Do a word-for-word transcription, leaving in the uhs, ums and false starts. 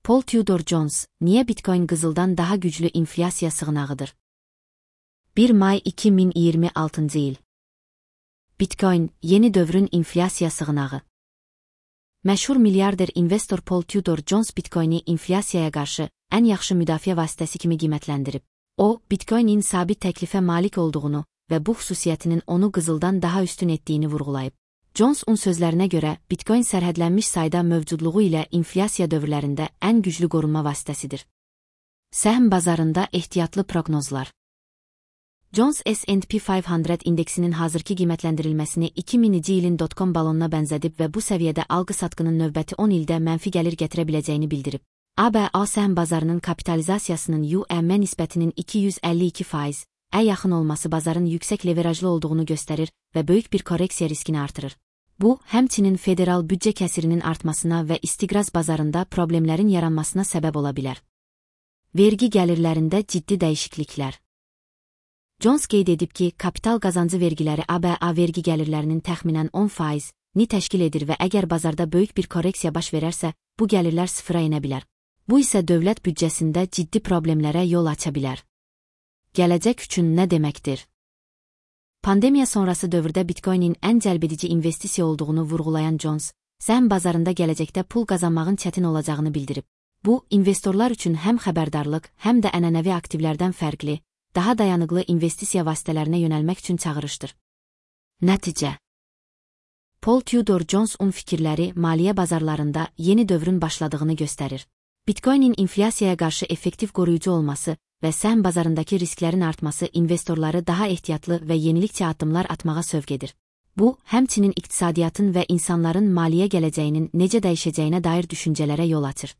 Paul Tudor Jones, niye Bitcoin qızıldan daha güclü inflyasiya sığınağıdır? bir may iki min iyirmi altıncı il. Bitcoin, yeni dövrün inflyasiya sığınağı. Məşhur milyarder investor Paul Tudor Jones Bitcoin'i inflyasiyaya qarşı ən yaxşı müdafiə vasitəsi kimi qiymətləndirib. O, Bitcoin'in sabit təklifə malik olduğunu və bu xüsusiyyətinin onu qızıldan daha üstün etdiyini vurğulayıb. Jones'un sözlərinə görə, Bitcoin sərhədlənmiş sayda mövcudluğu ilə inflyasiya dövrlərində ən güclü qorunma vasitəsidir. Səhm bazarında ehtiyatlı proqnozlar. Jones S and P beş yüz indeksinin hazırki qiymətləndirilməsini iki mininci ilin dot-com balonuna bənzədib və bu səviyyədə alqı-satqının növbəti on ildə mənfi gəlir gətirə biləcəyini bildirib. A B A səhm bazarının kapitalizasiyasının U M nisbətinin iki yüz əlli iki faiz-ə yaxın olması bazarın yüksək leverajlı olduğunu göstərir və böyük bir korreksiya riskini artırır. Bu, həmçinin federal büdcə kəsirinin artmasına və istiqraz bazarında problemlərin yaranmasına səbəb ola bilər. Vergi gəlirlərində ciddi dəyişikliklər. Jones qeyd edib ki, kapital qazancı vergiləri A B A vergi gəlirlərinin təxminən on faiz-ni təşkil edir və əgər bazarda böyük bir korreksiya baş verərsə, bu gəlirlər sıfıra enə bilər. Bu isə dövlət büdcəsində ciddi problemlərə yol aça bilər. Gələcək üçün nə deməkdir? Pandemiya sonrası dövrdə Bitcoin'in ən cəlbedici investisiya olduğunu vurğulayan Jones, səhm bazarında gələcəkdə pul qazanmağın çətin olacağını bildirib. Bu, investorlar üçün həm xəbərdarlıq, həm də ənənəvi aktivlərdən fərqli, daha dayanıqlı investisiya vasitələrinə yönəlmək üçün çağırışdır. Nəticə. Paul Tudor Jones'un fikirləri maliyyə bazarlarında yeni dövrün başladığını göstərir. Bitcoin'in inflyasiyaya qarşı effektiv qoruyucu olması və səhm bazarındakı risklərin artması investorları daha ehtiyatlı və yenilikçi addımlar atmağa sövq edir. Bu, həmçinin iqtisadiyyatın və insanların maliyyə gələcəyinin necə dəyişəcəyinə dair düşüncələrə yol açır.